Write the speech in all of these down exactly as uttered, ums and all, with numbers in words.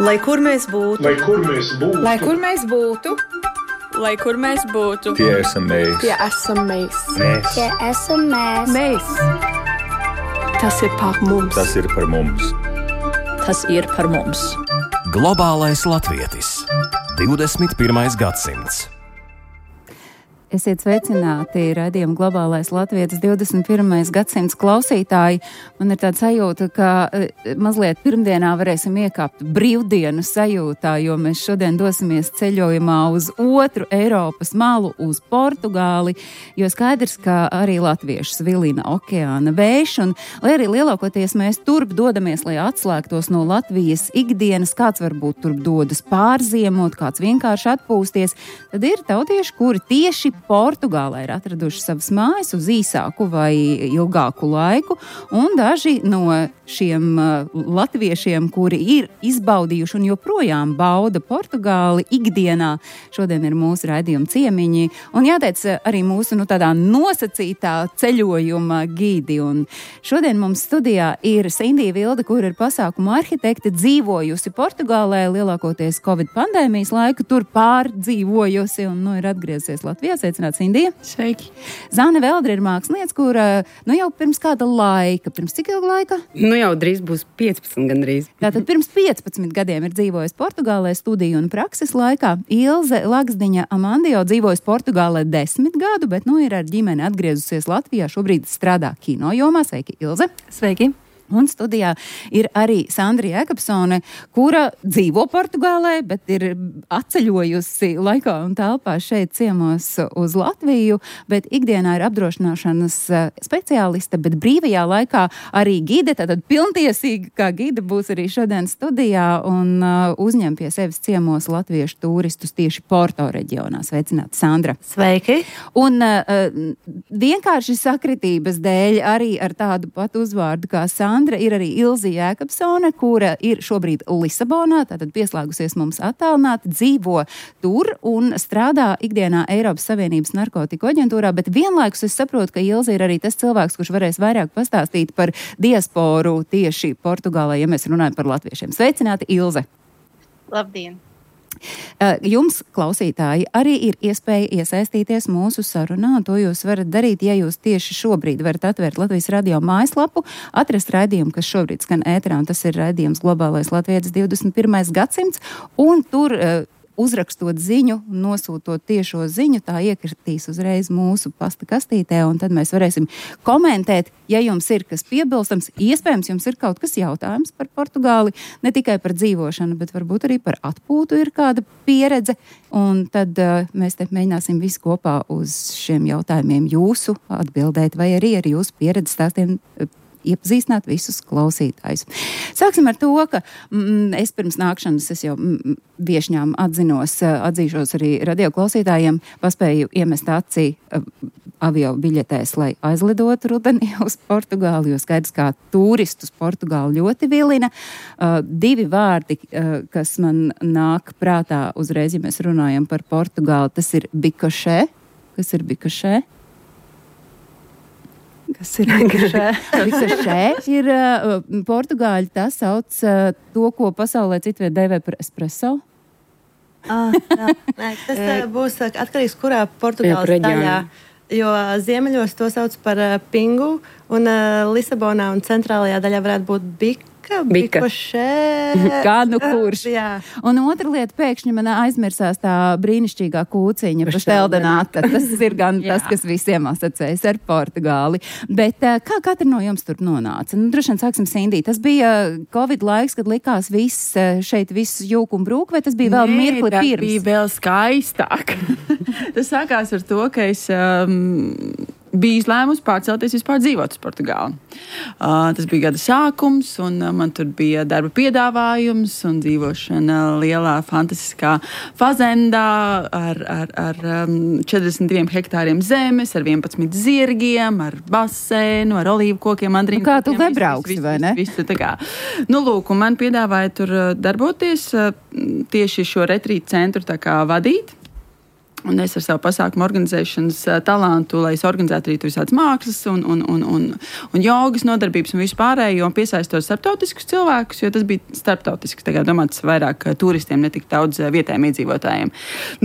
Lai kur mēs būtu, lai kur mēs būtu, lai kur mēs būtu, lai kur mēs būtu, tie esam mēs. tie esam mēs. Mēs. Tie esam mēs. Mēs. Tas ir par mums. Tas ir par mums. tas ir par mums. Globālais latvietis. divdesmit pirmais gadsimts. Esiet sveicināti raidījuma Globālais latvietis divdesmit pirmais gadsimts klausītāji. Man ir tāda sajūta, ka mazliet pirmdienā varēsim iekāpt brīvdienu sajūtā, jo mēs šodien dosimies ceļojumā uz otru Eiropas malu, uz Portugāli, jo skaidrs, ka arī latviešus vilina okeāna vējš, un lai arī lielākoties mēs turp dodamies, lai atslēgtos no Latvijas ikdienas, kāds varbūt turp dodas pārziemot, kāds vienkārši atpūsties, tad ir tautieši, kuri tieši Portugālē ir atraduši savas mājas uz īsāku vai ilgāku laiku, un daži no šiem uh, latviešiem, kuri ir izbaudījuši un joprojām bauda Portugāli ikdienā, šodien ir mūsu raidījuma ciemiņi, un jāteic arī mūsu nu, tādā nosacītā ceļojuma gidi. Un šodien mums studijā ir Sindija Vilde, kur ir pasākuma arhitekte, dzīvojusi Portugālē lielākoties Covid pandēmijas laiku, tur pārdzīvojusi un nu, ir atgriezies Latvijā. Sveicināt, Sindija. Sveiki. Zāne Veldre ir mākslinieca, kura nu jau pirms kāda laika, pirms cik ilga laika? Nu jau drīz būs piecpadsmit gandrīz. Tātad pirms piecpadsmit gadiem ir dzīvojusi Portugālē studiju un prakses laikā. Ilze Laksdiņa Amandio dzīvojusi Portugālē desmit gadu, bet nu ir ar ģimeni atgriezusies Latvijā. Šobrīd strādā kino jomā. Sveiki, Ilze. Sveiki. Un studijā ir arī Sandra Jēkabsone, kura dzīvo Portugālē, bet ir atceļojusi laikā un telpā šeit ciemos uz Latviju, bet ikdienā ir apdrošināšanas speciāliste, bet brīvajā laikā arī gide, tātad pilntiesīgi kā gide būs arī šodien studijā un uh, uzņem pie sevis ciemos latviešu turistus tieši Porto reģionā. Sveicināti, Sandra. Sveiki! Un uh, vienkārši sakritības dēļ arī ar tādu pat uzvārdu kā Sandra. Sandra ir arī Ilze Jēkabsone, kura ir šobrīd Lisabonā, tātad pieslēgusies mums attālināti, dzīvo tur un strādā ikdienā Eiropas Savienības narkotiku aģentūrā, bet vienlaikus es saprotu, ka Ilze ir arī tas cilvēks, kurš varēs vairāk pastāstīt par diasporu tieši Portugālē, ja mēs runājam par latviešiem. Sveicināti, Ilze! Labdien! Jums, klausītāji, arī ir iespēja iesaistīties mūsu sarunā, un to jūs varat darīt, ja jūs tieši šobrīd varat atvērt Latvijas radio mājaslapu, atrast raidījumu, kas šobrīd skan ēterā, un tas ir raidījums Globālais latvietis divdesmit pirmais gadsimts, un tur uzrakstot ziņu, nosūtot tiešo ziņu, tā iekritīs uzreiz mūsu pasta kastītē, un tad mēs varēsim komentēt, ja jums ir kas piebilstams, iespējams jums ir kaut kas jautājums par Portugāli, ne tikai par dzīvošanu, bet varbūt arī par atpūtu ir kāda pieredze, un tad uh, mēs te mēģināsim visi kopā uz šiem jautājumiem jūsu atbildēt, vai arī ar jūsu pieredzi stāstiem uh, iepazīstināt visus klausītājus. Sāksim ar to, ka mm, es pirms nākšanas, es jau mm, viešņām atzinos, atzīšos arī radio klausītājiem, paspēju iemest acī uh, avio biļetēs, lai aizlidotu rudenī uz Portugāli, jo skaidrs, kā turistus Portugāli ļoti vilina. Uh, divi vārdi, uh, kas man nāk prātā uzreiz, ja mēs runājam par Portugāli, tas ir bikošē. Kas ir bikošē? Kas ir bikošē? Bikošē ir uh, portugāļi, tas sauc uh, to, ko pasaulē citviet dēvē par espresso. Ah, jā. Nē, tas uh, būs atkarīgs, kurā Portugāles daļā. Jo ziemeļos to sauc par uh, pingu, un uh, Lisabonā un centrālajā daļā varētu būt bika. Bika. Kā nu kurš. Jā. Un otra lieta, pēkšņi man aizmirsās tā brīnišķīgā kūciņa pašteldenāta. Tas ir gan tas, kas visiem asociējas ar Portugāli. Bet kā katra no jums tur nonāca? Nu, droši vien sāksim Sindī. Tas bija Covid laiks, kad likās viss šeit viss jūk un brūk, vai tas bija vēl Nē, mirkli tas pirms? Bija vēl skaistāk. Tas sākās ar to, ka es um, biju izlēmusi pārcelties vispār dzīvot uz Portugāli. Uh, tas bija gada sākums, un uh, man tur bija darba piedāvājums un dzīvošana lielā fantastiskā fazendā ar, ar, ar um, četrdesmit diviem hektāriem zemes, ar vienpadsmit zirgiem, ar basēnu, ar olīvu kokiem, mandrīnu. Nu, kā tu kokiem, nebrauksi, vai ne? Visu, visu, tā kā. Nu, lūk, un man piedāvāja tur darboties, uh, tieši šo retrītu centru tā kā vadīt. Un es ar savu pasākumu organizēšanas talantu, lai es organizētu arī tur visādas mākslas un, un, un, un, un jogas nodarbības un visu pārējo, un piesaistot starptautiskus cilvēkus, jo tas bija starptautisks, tagad domāts vairāk turistiem, ne tik daudz vietējiem iedzīvotājiem.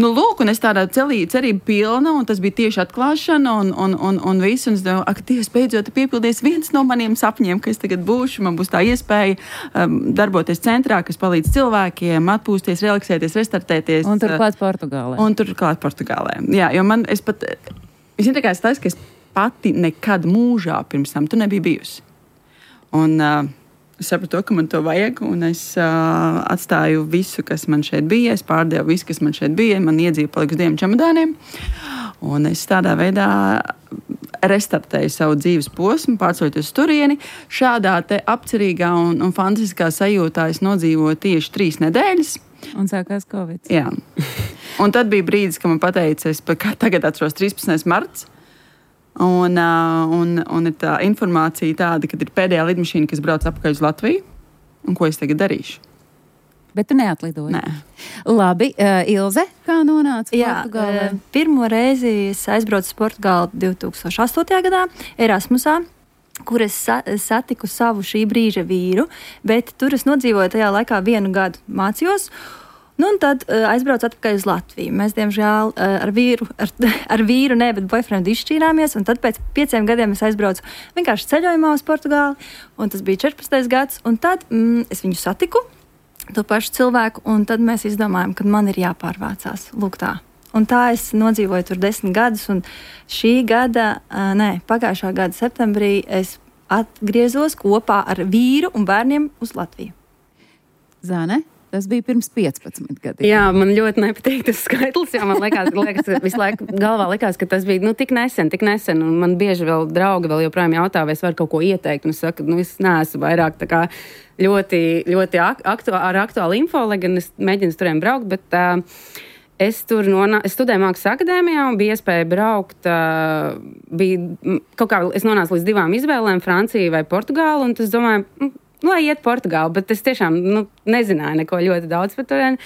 Nu, lūk, un es tādā celī, cerība pilna, un tas bija tieši atklāšana un, un, un, un viss, un es domāju, ak, Dievs, beidzot piepildies viens no maniem sapņiem, ka es tagad būšu, man būs tā iespēja um, darboties centrā, kas palīdz cilvēkiem atpūsties, relaksēties, restartēties. Un turklāt Portugālē. Un turklāt Portugālē. Jā, jo man, es pat, es tā kā es taisu, ka es pati nekad mūžā pirms tam tu nebija bijusi. Un uh, es sapratu to, ka man to vajag, un es uh, atstāju visu, kas man šeit bija, es pārdevu visu, kas man šeit bija, man iedzīva palika uz diviem čemodāniem, un es tādā veidā restartēju savu dzīves posmu, pārceļoties uz turieni. Šādā te apcerīgā un, un fantastiskā sajūtā es nodzīvoju tieši trīs nedēļas. Un sākās Covid. Jā. Un tad bija brīdis, kad man pateica, es tagad atceros trīspadsmitais marts, un, un, un ir tā informācija tāda, ka ir pēdējā lidmašīna, kas brauc apakaļ uz Latviju, un ko es tagad darīšu. Bet tu neatlidoji? Nē. Labi, uh, Ilze, kā nonāca Jā, Portugālē? uh, pirmo reizi es aizbraucu uz Portugāli divi tūkstoši astotajā gadā Erasmusā, kur es sa- satiku savu šī brīža vīru, bet tur es nodzīvoju tajā laikā vienu gadu mācījos. Nu, un tad uh, aizbraucu atpakaļ uz Latviju. Mēs, diemžēl, uh, ar vīru, ar, ar vīru, ne, bet boyfriendu izšķīrāmies, un tad pēc pieciem gadiem es aizbraucu vienkārši ceļojumā uz Portugāli, un tas bija četrpadsmitais gads, un tad mm, es viņu satiku, to pašu cilvēku, un tad mēs izdomājām, ka man ir jāpārvācās. Lūk tā. Un tā es nodzīvoju tur desmit gadus, un šī gada, uh, nē, pagājušā gada septembrī es atgriezos kopā ar vīru un bērniem uz Latviju. Zane? Tas bija pirms piecpadsmit gadiem. Jā, man ļoti nepatīk tas skaitlis, jo man liekas, liekas visu laiku galvā likās, ka tas bija nu, tik nesen, tik nesen, un man bieži vēl draugi vēl joprojām jautā, vai es varu kaut ko ieteikt, un es saku, nu, es neesmu vairāk tā kā ļoti, ļoti aktu, ar aktuālu info, lai gan es mēģinu turiem braukt, bet uh, es tur nonā, es studēju mākslas akadēmijā un bija iespēja braukt, uh, bija kaut kā, es nonācu līdz divām izvēlēm, Francija vai Portugāla, un es domāju, mm, nu, lai iet Portugāli, bet es tiešām nu, nezināju neko ļoti daudz par turieni.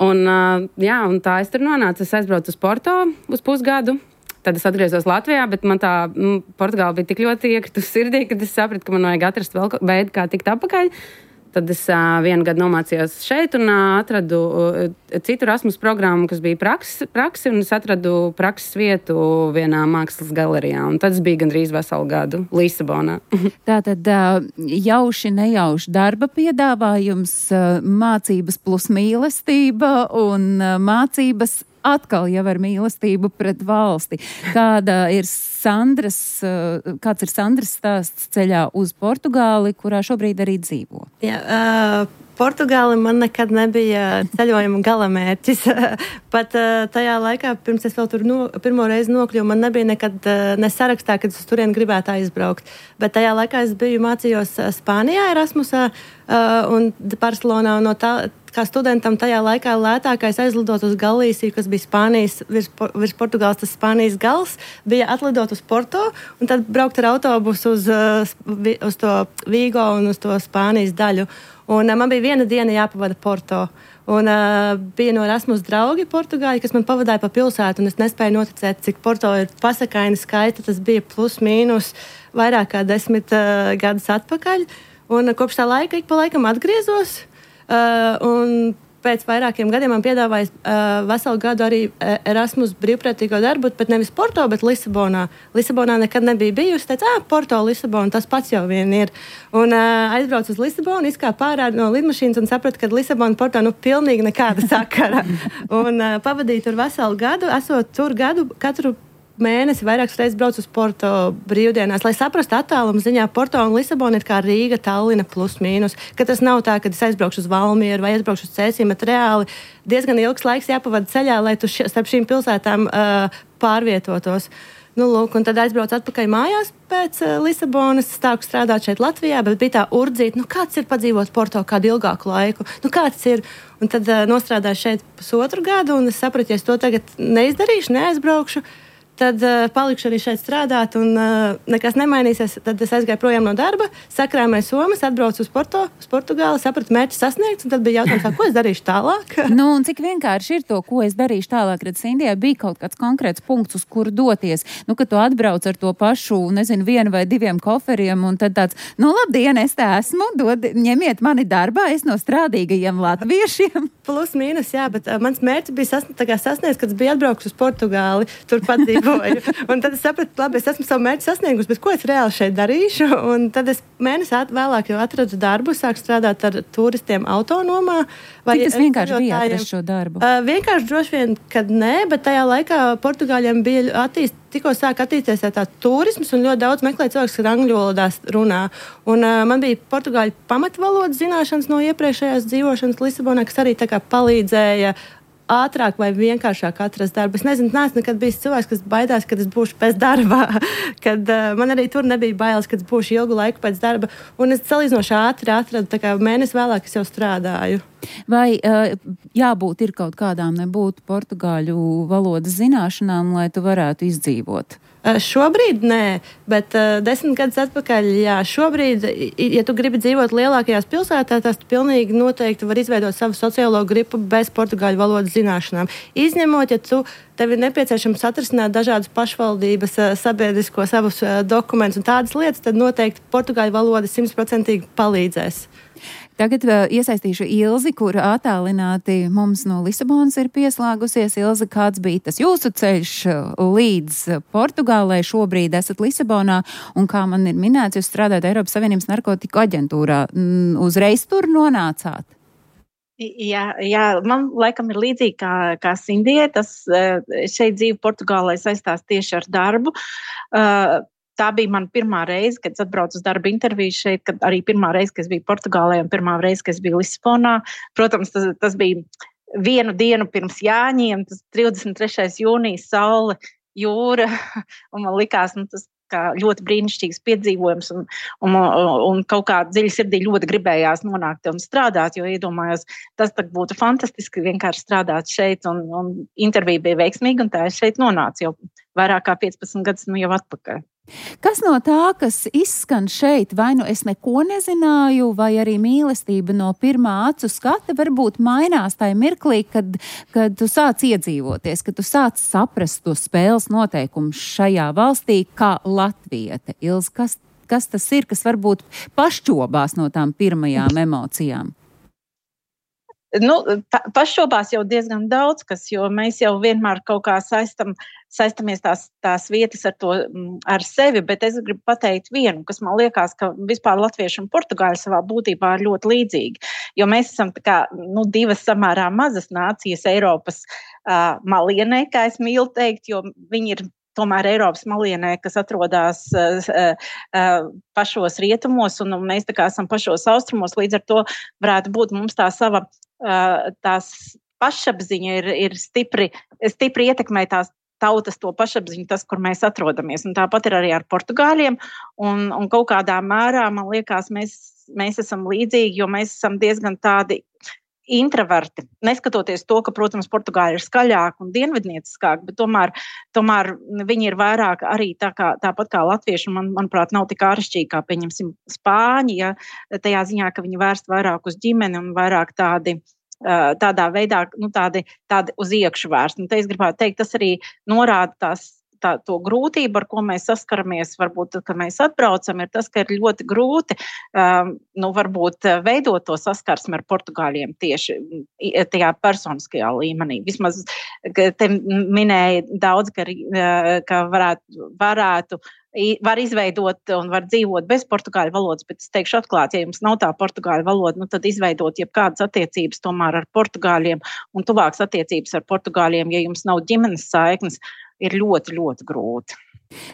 Un, uh, jā, un tā es tur nonācu. Es aizbraucu uz Porto uz pusgadu. Tad es atgriezos Latvijā, bet man tā nu, Portugāla bija tik ļoti iekritusi sirdī, ka es sapratu, ka man vajag atrast vēl veidu, kā tikt apakaļ. Tad es uh, vienu gadu nomācījos šeit un uh, atradu uh, citu Erasmus programmu, kas bija praksi, praksi, un es atradu prakses vietu vienā mākslas galerijā. Un tad es biju gandrīz veselu gadu Lisabonā. Tātad uh, jauši nejauši darba piedāvājums, uh, mācības plus mīlestība un uh, mācības atkal jau ar mīlestību pret valsti. Kāda ir Sandras, uh, kāds ir Sandras stāsts ceļā uz Portugāli, kurā šobrīd arī dzīvo? Jā, uh, Portugāli man nekad nebija ceļojuma galamērķis. Pat uh, tajā laikā, pirms es vēl tur no, pirmo reizi nokļuvu, man nebija nekad uh, nesarakstā, kad es turien gribētu aizbraukt. Bet tajā laikā es biju mācījos uh, Spānijā, Erasmusā uh, un Barcelonā. Un no tā, kā studentam tajā laikā lētākais aizlidot uz Galīsiju, kas bija Spānijas, virs, virs Portugāles, tas Spānijas gals, bija atlidot uz Porto un tad braukt ar autobusu uz, uz to Vigo un uz to Spānijas daļu. Un uh, man bija viena diena jāpavada Porto. Un uh, bija no Erasmus draugi Portugāļi, kas man pavadāja pa pilsētu, un es nespēju noticēt, cik Porto ir pasakaini skaita. Tas bija plus mīnus vairāk kā desmit uh, gadus atpakaļ. Un uh, kopš tā laika ik pa laikam atgriezos. Uh, un pēc vairākiem gadiem man piedāvāja uh, veselu gadu arī Erasmus brīvprātīgo darbu, bet nevis Porto, bet Lisabonā. Lisabonā nekad nebija bijusi. Teicu, ah, Porto, Lisabona, tas pats jau vien ir. Un uh, aizbraucu uz Lisabonu, izkāpu ārā no lidmašīnas un sapratu, ka Lisabona Porto nu pilnīgi nekāda sakara. Un uh, pavadīju tur veselu gadu, esot tur gadu katru mēnesi vairākas reizes braucu uz Porto brīvdienās, lai saprastu attālumu ziņā. Porto un Lisabona ir kā Rīga, Tallina plus mīnus, ka tas nav tā, ka es aizbraukšu uz Valmieru vai aizbraukšu uz Cēsīm, bet reāli diezgan ilgs laiks jāpavada ceļā, lai tu š- starp šīm pilsētām uh, pārvietotos. Nu, lūk, un tad aizbraucu atpakaļ mājās pēc uh, Lisabonas, stāku strādāt šeit Latvijā, bet bija tā urdzīt, nu kāds ir padzīvot Porto kādu ilgāku laiku, nu kāds ir, un tad uh, nostrādāju šeit pusotru gadu, un es sapratu, ja es to tagad neizdarīšu, neaizbraukšu, tad uh, palikšu arī šeit strādāt, un uh, nekas nemainīsies. Tad es aizgāju projām no darba, sakrāmēju somas, atbraucu uz, Porto, uz Portugāli, sapratu mērķi sasniegts, un tad bija jautājums, ko es darīšu tālāk. Nu, un cik vienkārši ir to, ko es darīšu tālāk, redz, Indijā bija kaut kāds konkrēts punkts, uz kuru doties. Nu, kad tu atbrauc ar to pašu, nezinu, vienu vai diviem koferiem, un tad tāds, nu, labdien, es tā esmu, dod, ņemiet mani darbā, es no strādīgajiem latviešiem. Plus, mīnus, jā, bet uh, mans mērķis bija sasniegts, sasniegts, kad es biju atbraukus uz Portugāli, turpat dzīvoju. Un tad es sapratu, labi, es esmu savu mērķi sasniegusi, bet ko es reāli šeit darīšu? Un tad es mēnesi at, vēlāk jau atradu darbu, sāku strādāt ar turistiem autonomā. Cik tas vienkārši bija atrast šo darbu? Uh, vienkārši droši vien, kad nē, bet tajā laikā Portugāļiem bija attīst, tikko sāk attīstīties tā turisms un ļoti daudz meklē cilvēks, kas angļu valodās runā. Un uh, man bija portugāļu pamatvalodas zināšanas no iepriekšējās dzīvošanas Lisabonā, kas arī tā kā palīdzēja ātrāk vai vienkāršāk atrast darbu. Es nezinu, neesmu nekad bijis cilvēks, kas baidās, kad es būšu pēc darba, kad uh, man arī tur nebija bailes, kad es būšu ilgu laiku pēc darba, un es salīdzinoši ātri atradu, tā kā mēnesi vēlāk es jau strādāju. Vai uh, jābūt ir kaut kādām nebūtu portugāļu valodas zināšanām, lai tu varētu izdzīvot? Uh, šobrīd nē, bet uh, desmit gadus atpakaļ, jā, šobrīd, ja tu gribi dzīvot lielākajās pilsētās, tad tu pilnīgi noteikti var izveidot savu sociālo gripu bez portugāļu valodas zināšanām. Izņemot, ja tu, tev ir nepieciešams atrisināt dažādas pašvaldības uh, sabiedrisko savus uh, dokumentus un tādas lietas, tad noteikti portugāļu valoda simtprocentīgi palīdzēs. Tagad uh, iesaistīšu Ilzi, kur attālināti mums no Lisabonas ir pieslēgusies. Ilzi, kāds bija tas jūsu ceļš līdz Portugālei? Šobrīd esat Lisabonā, un kā man ir minēts, jūs strādājat Eiropas Savienības narkotiku aģentūrā. Uzreiz tur nonācāt? Jā, jā, man laikam ir līdzīgi kā, kā Sindijai. Tas šeit dzīve Portugālē saistās tieši ar darbu. Uh, Tā bija mana pirmā reize, kad es atbraucu uz darba interviju šeit, kad arī pirmā reize, kad es biju Portugālē un pirmā reize, kad es biju Lisabonā. Protams, tas, tas bija vienu dienu pirms Jāņiem, tas trīsdesmit trešais jūnijas, saule, jūra, un man likās, nu, tas kā ļoti brīnišķīgs piedzīvojums, un, un, un kaut kā dziļi sirdī ļoti gribējās nonākt un strādāt, jo iedomājos, tas tak būtu fantastiski vienkārši strādāt šeit, un, un intervija bija veiksmīga, un tā es šeit nonācu jau vairāk kā piecpadsmit gadus nu jau atpakaļ. Kas no tā, kas izskan šeit, vai nu es neko nezināju, vai arī mīlestība no pirmā acu skata varbūt mainās tajā mirklī, kad, kad tu sāc iedzīvoties, kad tu sāc saprast to spēles noteikumus šajā valstī kā latviete? Ilz, kas, kas tas ir, kas varbūt pašķobās no tām pirmajām emocijām? Nu, pa, paššobās jau diezgan daudz, kas, jo mēs jau vienmēr kaut kā saistam, saistamies tās, tās vietas ar, to, ar sevi, bet es gribu pateikt vienu, kas man liekas, ka vispār latvieši un portugāļi savā būtībā ir ļoti līdzīgi, jo mēs esam tā kā, nu, divas samērā mazas nācijas Eiropas uh, malienē, kā es mīlu teikt, jo viņi ir tomēr Eiropas malienē, kas atrodas uh, uh, pašos rietumos, un mēs tā kā esam pašos austrumos, līdz ar to varētu būt mums tā sava uh, tās pašapziņa ir, ir stipri, stipri ietekmē tās tautas to pašapziņu, tas, kur mēs atrodamies. Un tāpat ir arī ar portugāļiem, un, un kaut kādā mērā, man liekas, mēs, mēs esam līdzīgi, jo mēs esam diezgan tādi intraverti, neskatoties to, ka, protams, portugāļi ir skaļāki un dienvidnieciskāki, bet tomēr, tomēr viņi ir vairāk arī tā kā, tāpat kā latvieši, un man, manuprāt, nav tik āršķirīgi, kā, pieņemsim, spāņi, ja, tajā ziņā, ka viņi vērst vairāk uz ģimeni un vairāk tādi, tādā veidā, nu, tādi, tādi uz iekšu vērst. Un te es gribētu teikt, tas arī norāda tās Tā, to grūtību, ar ko mēs saskaramies, varbūt, kad mēs atbraucam, ir tas, ka ir ļoti grūti, um, nu, varbūt veidot to saskarsmi ar portugāļiem tieši tajā personiskajā līmenī. Vismaz te minēja daudz, ka, ka varētu, varētu, var izveidot un var dzīvot bez portugāļu valodas, bet es teikšu atklāt, ja jums nav tā portugāļu valoda, nu, tad izveidot jebkādas attiecības tomēr ar portugāļiem un tuvākas attiecības ar portugāļiem, ja jums nav ģimenes saiknes, ir ļoti, ļoti grūti.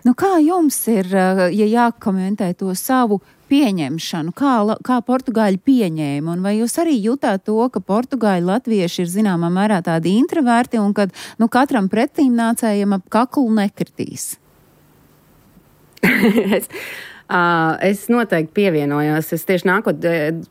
Nu, kā jums ir, ja jākomentē to savu pieņemšanu, kā, kā portugāļi pieņēma, un vai jūs arī jutāt to, ka portugāļi latvieši ir zināmā mērā tādi introverti, un kad, nu, katram pretīm nācējam ap kaklu nekritīs? es, Uh, es noteikti pievienojos. Es tieši nākot,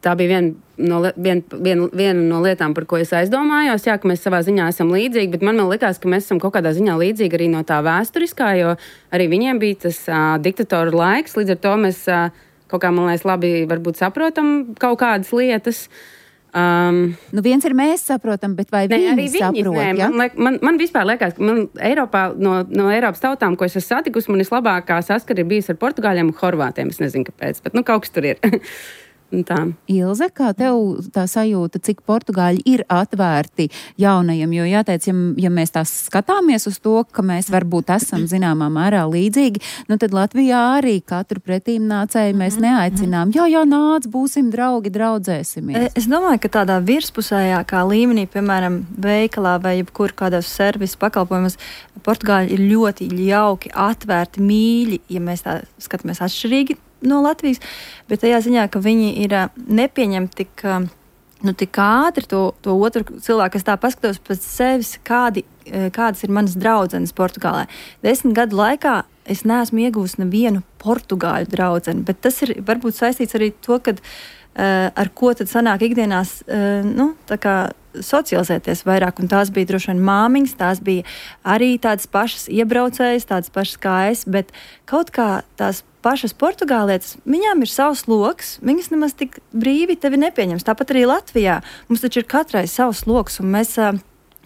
tā bija viena no, vien, vien, viena no lietām, par ko es aizdomājos. Jā, ka mēs savā ziņā esam līdzīgi, bet man, man likās, ka mēs esam kaut kādā ziņā līdzīgi arī no tā vēsturiskā, jo arī viņiem bija tas uh, diktatoru laiks. Līdz ar to mēs uh, kaut kā, man liekas, labi varbūt saprotam kaut kādas lietas. Um, nu viens ir mēs saprotam, bet vai ne, viņi, viņi saprot? Nē, ja? man, man, man vispār liekas, ka man Eiropā, no, no Eiropas tautām, ko es esmu satikusi, man vislabākā saskara ir bijis ar Portugāļiem un Horvātiem. Es nezinu, kāpēc, bet nu kaut kas tur ir. Ilze, kā tev tā sajūta, cik Portugāļi ir atvērti jaunajiem? Jo jāteic, ja, ja mēs tās skatāmies uz to, ka mēs varbūt esam zināmā mērā līdzīgi, nu tad Latvijā arī katru pretīm nācēju mēs neaicinām. Jā, jā, nāc, būsim draugi, draudzēsimies. Es domāju, ka tādā virspusējākā līmenī, piemēram, veikalā vai jebkur kādos servisu pakalpojumus, Portugāļi ir ļoti jauki, atvērti, mīļi, ja mēs tā skatāmies atšķirīgi no Latvijas, bet tajā ziņā, ka viņi ir nepieņem tik, nu, tik ātri to, to otru cilvēku, kas tā paskatos pēc sevis, kādi, kādas ir manas draudzenes Portugālē. Desmit gadu laikā es neesmu iegūst nevienu portugāļu draudzeni, bet tas ir varbūt saistīts arī to, kad uh, ar ko tad sanāk ikdienās, uh, nu, tā kā socializēties vairāk, un tās bija droši vien māmiņas, tās bija arī tādas pašas iebraucējas, tādas pašas kā es, bet kaut kā tās pašas portugālietes, viņām ir savs loks, viņas nemaz tik brīvi tevi nepieņems. Tāpat arī Latvijā. Mums taču ir katrai savs loks, un mēs uh,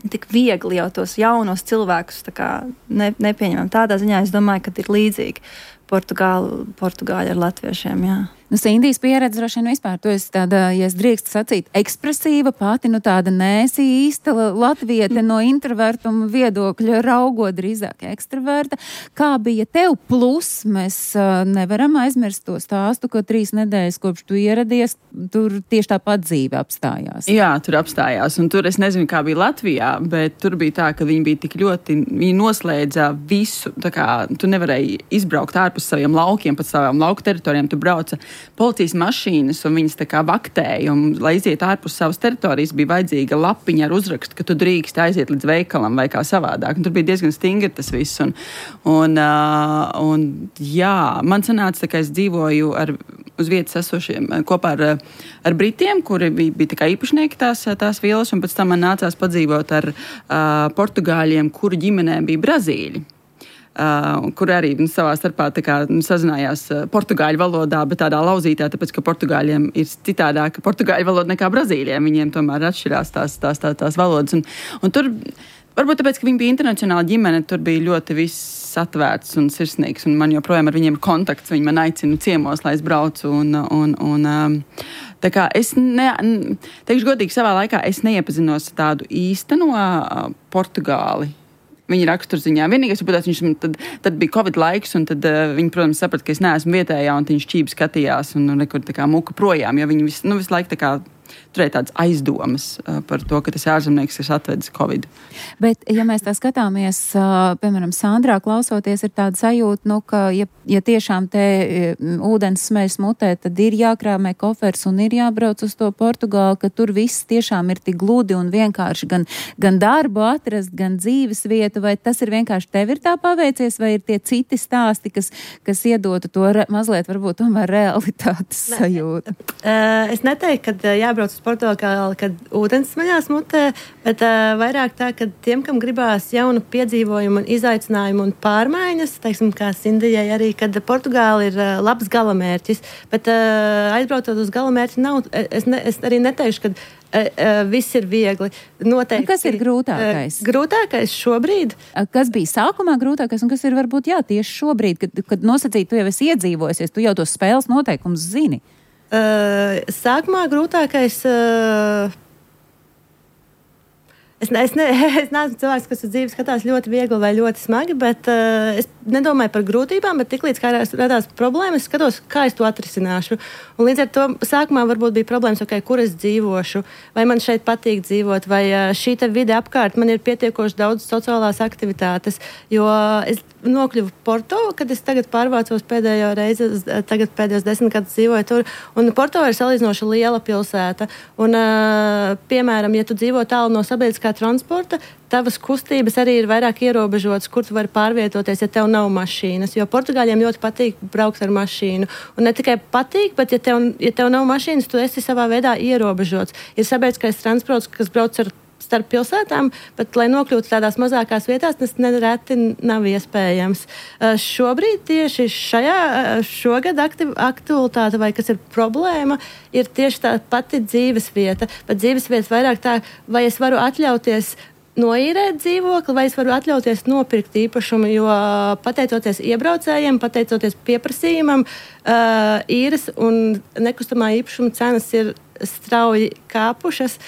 tik viegli jau tos jaunos cilvēkus tā kā ne, nepieņemam. Tādā ziņā es domāju, ka ir līdzīgi Portugāli, Portugāļi ar latviešiem, jā. Nu, Sindijas pieredze droši vien vispār, tu esi tāda, ja es drīkstu sacīt, ekspresīva pati, nu tāda nēsi īsta latviete no introvertuma viedokļa raugot drīzāk ekstraverta. Kā bija tev plus? Mēs uh, nevaram aizmirst to stāstu, ka trīs nedēļas kopš tu ieradies, tur tieši tāpat dzīve apstājās. Jā, tur apstājās, un tur es nezinu, kā bija Latvijā, bet tur bija tā, ka viņi bija tik ļoti, viņi noslēdza visu, tā kā tu nevarēji izbraukt ārpus saviem laukiem, pat savām lauku teritorijām, tu brauca policijas mašīnas, un viņas tā kā vaktēja, un, lai iziet ārpus savas teritorijas, bija vajadzīga lapiņa ar uzrakstu, ka tu drīkst aiziet līdz veikalam vai kā savādāk. Un tur bija diezgan stingri tas viss. Un, un, uh, un jā, man sanāca, ka es dzīvoju ar, uz vietas esošiem kopā ar, ar Britiem, kuri bija, bija tā kā īpašnieki tās, tās vielas, un pēc tam man nācās padzīvot ar uh, Portugāļiem, kuru ģimenēm bija Brazīļi. Uh, kur arī nu, savā starpā kā, nu, sazinājās uh, portugāļu valodā, bet tādā lauzītā, tāpēc, ka portugāļiem ir citādāka portugāļu valoda nekā brazīļiem. Viņiem tomēr atšķirās tās, tās, tās, tās valodas. Un, un tur, varbūt tāpēc, ka viņi bija internacionāla ģimene, tur bija ļoti viss atvērts un sirsnīgs, un man joprojām ar viņiem ir kontakts. Viņi man aicina ciemos, lai es braucu. Un, un, un, um, tā kā es, ne, teikšu godīgi, savā laikā es neiepazinos tādu īsteno uh, Portugāli. Viņa raksturziņā. Vienīgais, protams, viņš tad, tad bija Covid laiks, un tad uh, viņi, protams, saprata, ka es neesmu vietējā, un viņš šķīvi skatījās un, un nekur tā kā muka projām, jo viņi vis, nu, visu laiku tā kā turēja tādas aizdomas uh, par to, ka tas ārzemnieks ir atvedis Covid. Bet, ja mēs tā skatāmies, uh, piemēram, Sandrā klausoties, ir tāda sajūta, nu, ka, ja, ja tiešām te um, ūdens smējas mutē, tad ir jākrāmē kofers un ir jābrauc uz to Portugāli, ka tur viss tiešām ir tik gludi un vienkārši gan, gan darbu atrast, gan dzīves vietu, vai tas ir vienkārši tev ir tā paveicies, vai ir tie citi stāsti, kas, kas iedotu to re, mazliet varbūt tomēr realitātes sajūtu? Uh, es neteiktu, ka jābrauc uz Portugāli, kad ūdens smaļās mutē, bet uh, vairāk tā, ka tiem, kam gribās jaunu piedzīvojumu un izaicinājumu un pārmaiņas, teiksim, kā Sindijai arī, kad Portugāli ir uh, labs galamērķis, bet uh, aizbraucot uz galamērķi nav, es, ne, es arī neteikšu, ka uh, uh, viss ir viegli. Noteikti. Un kas ir grūtākais? Uh, grūtākais šobrīd? Kas bija sākumā grūtākais un kas ir varbūt jā, tieši šobrīd, kad, kad nosacīt, tu jau esi iedzīvojusies, tu jau tos spēles noteikumus zini? Uh, sākumā grūtākais. Uh, es, ne, es, ne, es neesmu cilvēks, kas uz dzīvi skatās ļoti viegli vai ļoti smagi, bet uh, es nedomāju par grūtībām, bet tiklīdz kā radās problēmas, es skatos, kā es to atrisināšu. Un līdz ar to sākumā varbūt bija problēmas, okay, kur es dzīvošu, vai man šeit patīk dzīvot, vai uh, šī te vide apkārt man ir pietiekoši daudz sociālās aktivitātes, jo es nokļuvu Porto, kad es tagad pārvācos pēdējo reizi, tagad pēdējos desmit gadus dzīvoju tur, un Porto ir salīdzinoši liela pilsēta, un, uh, piemēram, ja tu dzīvo tālu no sabiedriskā sabiedriskā transporta, tavas kustības arī ir vairāk ierobežotas, kur tu vari pārvietoties, ja tev nav mašīnas. Jo Portugāļiem ļoti patīk braukt ar mašīnu. Un ne tikai patīk, bet ja tev, ja tev nav mašīnas, tu esi savā veidā ierobežots. Ir sabiedriskais transports, kas brauc ar starp pilsētām, bet, lai nokļūtu tādās mazākās vietās, tas nereti nav iespējams. Šobrīd tieši šajā, šogad aktualitāte, vai kas ir problēma, ir tieši tā pati dzīves vieta. Bet dzīves vieta vairāk tā, vai es varu atļauties noīrēt dzīvokli, vai es varu atļauties nopirkt īpašumu, jo pateicoties iebraucējiem, pateicoties pieprasījumam, īres un nekustamā īpašuma cenas ir strauji kāpušas.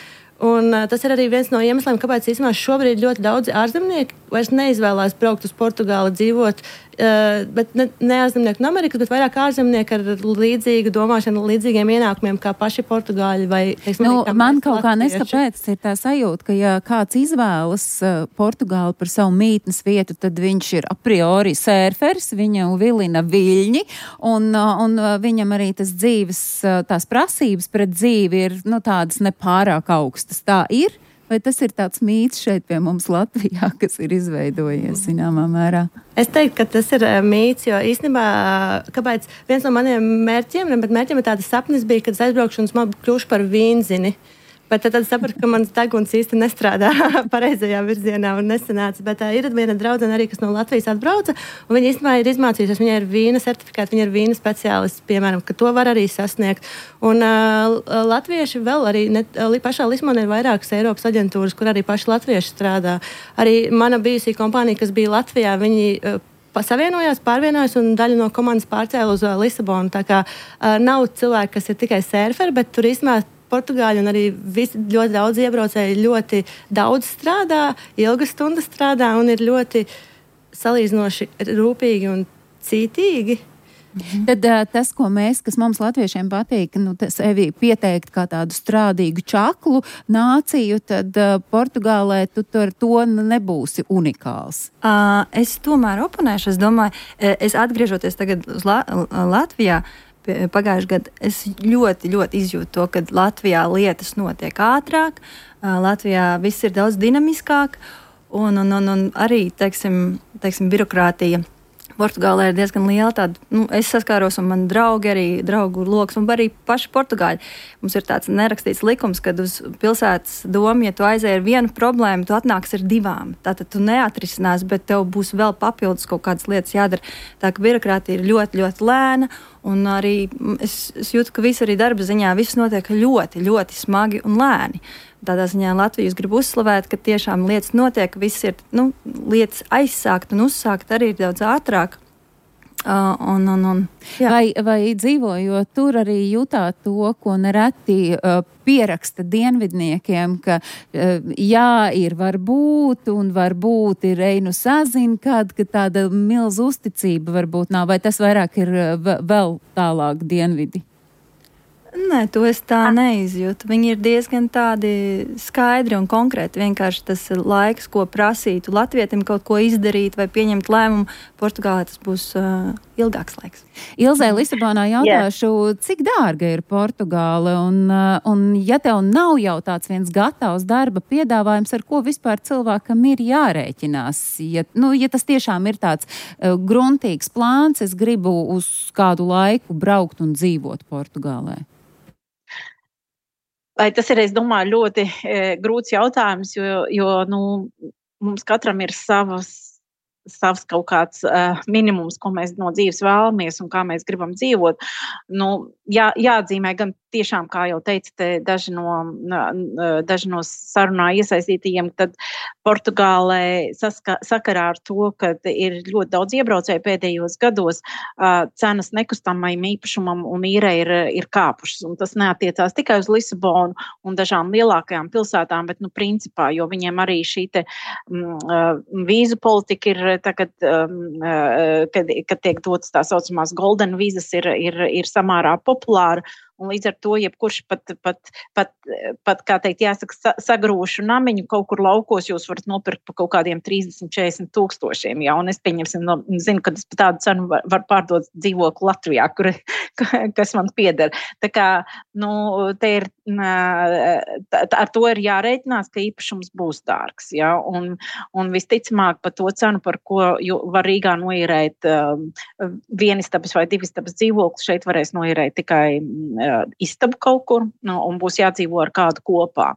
Un, uh, tas ir arī viens no iemesliem, kāpēc īstenībā šobrīd ļoti daudzi ārzemnieki vairs neizvēlās braukt uz Portugāli dzīvot, uh, bet ne, ne ārzemnieki no Amerikas, bet vairāk ārzemnieki ar līdzīgu domāšanu, līdzīgiem ienākumiem kā paši Portugāļi. Vai, teiksim, nu, kā man kaut kā latvieši. neskapēc ir tā sajūta, ka ja kāds izvēlas uh, Portugāli par savu mītnes vietu, tad viņš ir a priori sērfers, viņu vilina viļņi, un, uh, un uh, viņam arī tas dzīves, uh, tās prasības pret dzīvi ir nu, tādas nepārāk augstas. Tā ir? Vai tas ir tāds mīts šeit pie mums Latvijā, kas ir izveidojies zināmā mērā? Es teiktu, ka tas ir mīts, jo īstenībā, kāpēc viens no maniem mērķiem, bet mērķiem ir tāda sapnis bija, kad es aizbraukšu un es kļūšu par vīnzini. Bet tad, tad sapratu, ka mans deguns īsti nestrādā pareizajā virzienā un nesanāca. Bet uh, ir viena draudzene arī, kas no Latvijas atbrauca, un viņa īstenībā ir izmācījusies. Viņa ir vīna certifikāta, viņa ir vīna speciālists, piemēram, ka to var arī sasniegt. Un uh, latvieši vēl arī, ne, pašā Lisabonā ir vairākas Eiropas aģentūras, kur arī paši latvieši strādā. Arī mana bijusī kompānija, kas bija Latvijā, viņi uh, savienojās, pārvienojās un daļu no komandas pārcēla uz uh, Lisabonu. Tā kā uh, nav cilvēki, kas ir tikai sērferi, bet tur īstenībā Portugāļi un arī visi, ļoti daudz iebraucēji ļoti daudz strādā, ilgas stundas strādā un ir ļoti salīdzinoši rūpīgi un cītīgi. Mhm. Tad uh, tas, ko mēs, kas mums latviešiem patīk, nu, sevi pieteikt kā tādu strādīgu čaklu nāciju, tad uh, Portugālē tu ar to nebūsi unikāls. Uh, es tomēr oponēšu, es domāju, es atgriežoties tagad uz La- Latvijā, pagājušajā gadā es ļoti, ļoti izjūtu to, ka Latvijā lietas notiek ātrāk, Latvijā viss ir daudz dinamiskāk, un, un, un, un arī, teiksim, teiksim, birokrātija Portugālē ir diezgan liela tāda, nu, es saskāros un man draugi arī, draugu loks un arī paši Portugāļi. Mums ir tāds nerakstīts likums, kad uz pilsētas domu, ja tu aizēji ar vienu problēmu, tu atnāks ar divām. Tātad tu neatrisinās, bet tev būs vēl papildus kaut kādas lietas jādara. Tā ka birokrātija ir ļoti, ļoti lēna un arī es, es jūtu, ka viss arī darba ziņā viss notiek ļoti, ļoti smagi un lēni. Tādā ziņā Latvijas grib uzslavēt, ka tiešām lietas notiek, viss ir, nu, lietas aizsākt un uzsākt arī ir daudz ātrāk. Uh, un, un, un, vai, vai dzīvojot tur arī jutāt to, ko nereti uh, pieraksta dienvidniekiem, ka uh, jā, ir varbūt un varbūt ir einu sazin, kad, ka tāda milz uzticība varbūt nav, vai tas vairāk ir uh, vēl tālāk dienvidi? Nē, to es tā neizjūtu. Viņi ir diezgan tādi skaidri un konkrēti. Vienkārši tas laiks, ko prasītu latvietim kaut ko izdarīt vai pieņemt lēmumu, Portugālē tas būs uh, ilgāks laiks. Ilzē Lisabonā jautāšu, yeah. cik dārga ir Portugāle un, uh, un ja tev nav jau tāds viens gatavs darba piedāvājums, ar ko vispār cilvēkam ir jārēķinās? Ja, nu, ja tas tiešām ir tāds uh, gruntīgs plāns, es gribu uz kādu laiku braukt un dzīvot Portugālē. Vai tas ir, es domāju, ļoti e, grūts jautājums, jo, jo nu, mums katram ir savas, savs kaut kāds uh, minimums, ko mēs no dzīves vēlamies un kā mēs gribam dzīvot. Nu, jā, jāatzīmē gan tiešām, kā jau teica, daži no, daži no sarunā iesaistītajiem, tad Portugālē saska, sakarā ar to, ka ir ļoti daudz iebraucēju pēdējos gados, uh, cenas nekustamajam īpašumam un īrē ir, ir kāpušas. Un tas neatiecās tikai uz Lisabonu un dažām lielākajām pilsētām, bet, nu, principā, jo viņiem arī šī te um, vīzu politika ir tagad, um, uh, kad, kad tiek dotas tā saucamās golden vīzas, ir, ir, ir samērā populāra. un līdz ar to jebkurš pat, pat, pat, pat kā teikt, jāsaka, sagrūšu namiņu kaut kur laukos jūs varat nopirkt pa kaut kādiem trīsdesmit četrdesmit tūkstošiem, jā, un es pieņemsim, no, zinu, ka es pa tādu cenu var, var pārdot dzīvokli Latvijā, kur, kas man pieder. Tā kā, nu, te ir, tā, ar to ir jārēķinās, ka īpašums būs dārgs, jā, un, un visticamāk pa to cenu, par ko var Rīgā noīrēt um, vienistabas vai divistabas dzīvokli, šeit varēs noīrēt tikai uh, istabu kaut kur, nu, un būs jādzīvo ar kādu kopā.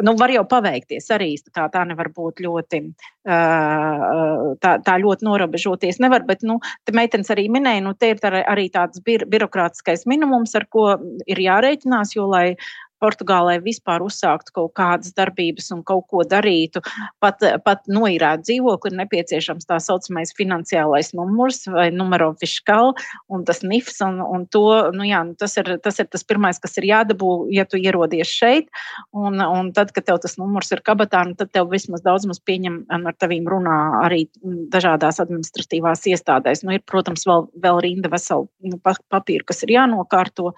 Nu, var jau paveikties arī, tā, tā nevar būt ļoti, uh, tā, tā ļoti norobežoties nevar, bet, nu, te meitenes arī minēja, nu, te ir tā, arī tāds bir, birokrātiskais minimums, ar ko ir jārēķinās, jo, lai Portugālē vispār uzsāktu kaut kādas darbības un kaut ko darītu, pat, pat noīrēt dzīvokli, ir nepieciešams tā saucamais finansiālais numurs vai numero fiskal un tas N I F S, un, un to, nu jā, tas ir, tas ir tas pirmais, kas ir jādabū, ja tu ierodies šeit, un, un tad, kad tev tas numurs ir kabatā, nu, tad tev vismaz daudz maz pieņem un ar tavīm runā arī dažādās administratīvās iestādēs. Nu, ir, protams, vēl, vēl rinda vesela nu, papīru, kas ir jānokārto.